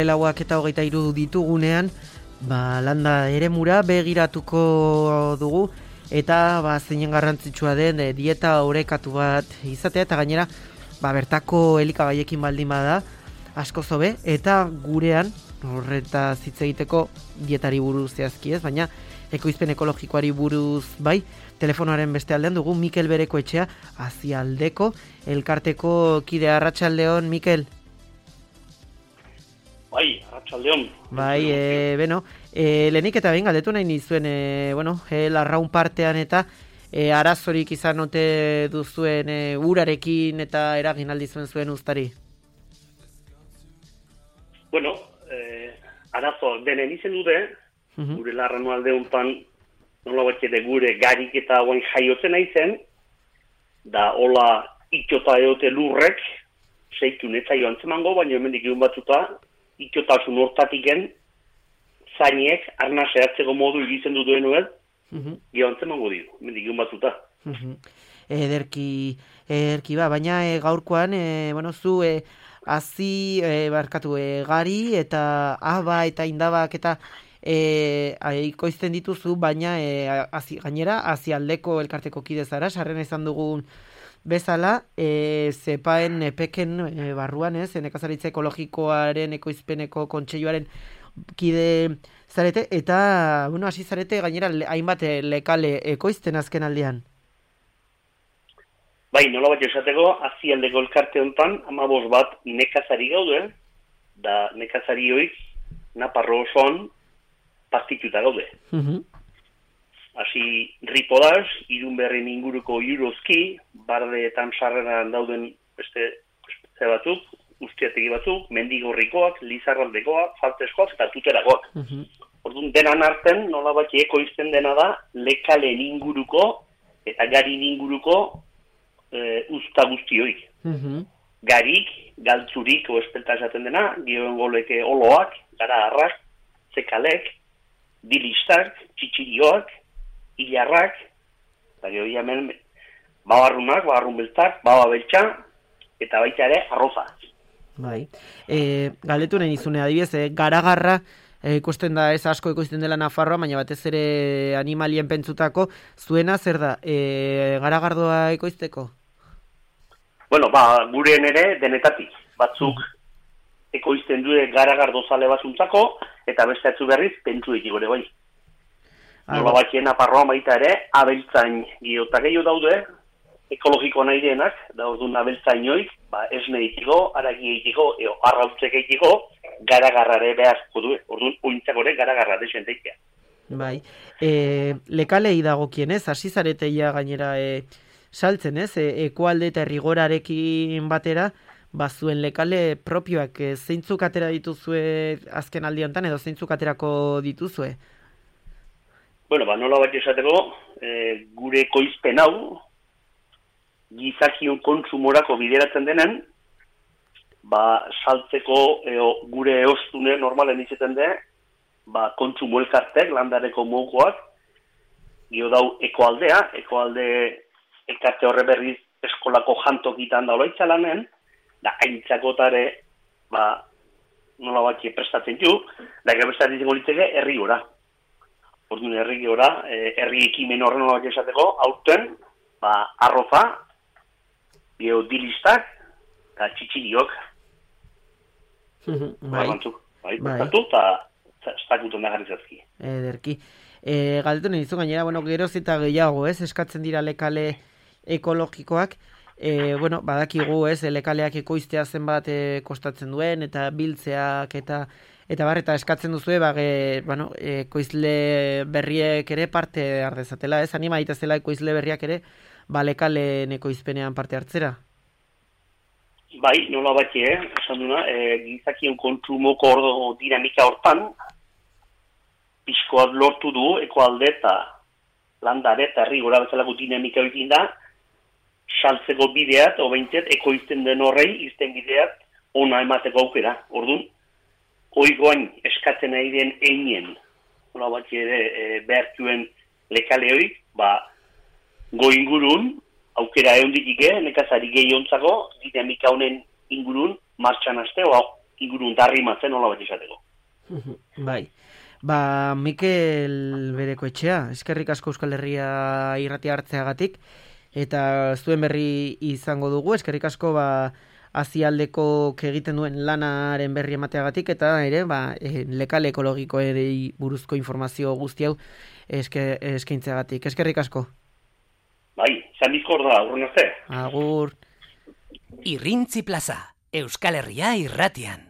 Lauak eta 23 ditugunean, landa eremura begiratuko dugu eta zeinen garrantzitsua den dieta orekatu bat izatea eta gainera bertako elikagaiekin baldin bada asko zobe eta gurean horreta hitz egiteko dietari buruz zehazki ez, baina ekoizpen ekologikoari buruz bai. Telefonoaren beste aldean dugu Mikel Berekoetxea, Azialdeko elkarteko kidea. Arratsaldeon, Mikel. Bai, arratsaldeon. Bai, lehenik eta behin galdetu nahi nizuen, larraun partean eta arazorik izan ote duzuen urarekin eta eragin aldizuen zuen uztari? Arazo denen izen dute, gure larranu alde hontan nola batxete gure garik eta guain jaiotzen aizen, da hola itxota eote lurrek, seikun ez zaio antzemango, baina hemendik egun batzuta, itxotasun hortatiken, zainek, arna zehatzeko modu egizen duen nuez, gio antzemango dio, hemendik egun batzuta. Ederki baina gaurkoan, zu gari eta aba eta indabak eta ikoizten dituzu, baina gainera Azialdeko elkarteko kide zara, sarren izan dugun bezala, zepaen epeken barruan ez, nekazaritza ekologikoaren ekoizpeneko kontseiluaren kide zarete, eta hasi zarete gainera hainbat lekale ekoizten azken aldean. Bai, nola bat esateko, Azialdeko elkarte honetan, 15 bat nekazari gaude, da nekazari hoik, Naparro osoan, partituta gaude. Hasi Ripodaz, Irunberrin inguruko Jurozki, Bardeetan sarreran dauden beste batzuk, Ustiategi batzuk, Mendigorrikoak, Lizarraldekoak, Falteskoak eta Tuterakoak. Orduan denan arten, nola bat ekoizten dena da, lekalen inguruko eta garin inguruko usta guztioik. Garik, galtzurik, oespelta esaten dena, gioen goleke oloak, garagarrak, zekalek, dilistak, txitxirioak, hilarrak, eta geho hemen babarrunak, babarrun beltzak, bababeltxa, eta baita ere arroza. Bai. Galdetu nahi nizune, adibidez, garagarra, ikusten da ez asko ikusten dela Nafarroa, baina batez ere animalien pentsutako, zuena zer da, garagardoa ekoizteko? Gureen ere denetatik. Batzuk ekoizten dure garagardo zale batzuntzako, eta beste atzu berriz pentsuek igore bai. Nola batxien Nafarroa baita ere, abeltzain giota gehiago daude, ekologiko nahi denak, da orduan abeltzainoik, esne egiteko, aragi egiteko, arrautzek egiteko, garagarrare behazko du, orduan ointzakore garagarra desenteitea. Bai, lekalei dagokien ez, hasi zareteia gainera saltzen ez, ekualde eta errigorarekin batera, zuen lekale propioak, zeintzuk atera dituzue azken aldiantan edo zeintzuk aterako dituzue? Nola bat esateko, gure ekoizpen hau, gizakion kontsumorako bideratzen denen, saltzeko gure eostune normalen izaten de, kontsumo elkartek, landareko mogukoak, gio dau ekoalde elkarte horre berriz eskolako jantokitan daula itzalanen, da aintzakotare, nola bat prestatzen du, da prestatzen golitzeke herri gora. Orduan herri gora, herri ekimen horren nola bat esateko, aurten, arroza, dilistak, eta txitxiriok. Bertatu, eta estakuton da garrizazki. Ederki. Galdetu nahi dizu gainera, geroz eta gehiago, eskatzen dira lekale ekologikoak, badakigu, lekaleak ekoiztea zenbat kostatzen duen, eta biltzeak, eta eskatzen duzue, ekoizle berriek ere parte ardezatela, anima itazela ekoizle berriak ere, lekalen ekoizpenean parte hartzera? Bai, nola bat esan duna, gizakion kontsumoko dinamika hortan, pixkoak lortu du, ekoalde eta landare eta herri gora bezalako dinamika egin da, saltzeko bideat, obeintzet, ekoizten den horrei, izten bideat, ona emateko aukera. Orduan, oigoain eskatzen nahi den einen, nola bat behartuen lekaleoik, go ingurun, aukera egon ditike, nekazari gehi ontzako, dinamika honen ingurun, martxan haste, ingurun tarrimatzen hola bat esateko. Bai. Mikel Bereko etxea, eskerrik asko Euskal Herria irratia hartzeagatik, eta zuen berri izango dugu, eskerrik asko azialdeko egiten duen lanaren berri emateagatik, eta ere, lekal ekologikoerei buruzko informazio guzti hau eskaintzeagatik. Eskerrik asko. Bai, zan bizkor da, aurren arte. Agur. Irrintzi plaza, Euskal Herria irratian.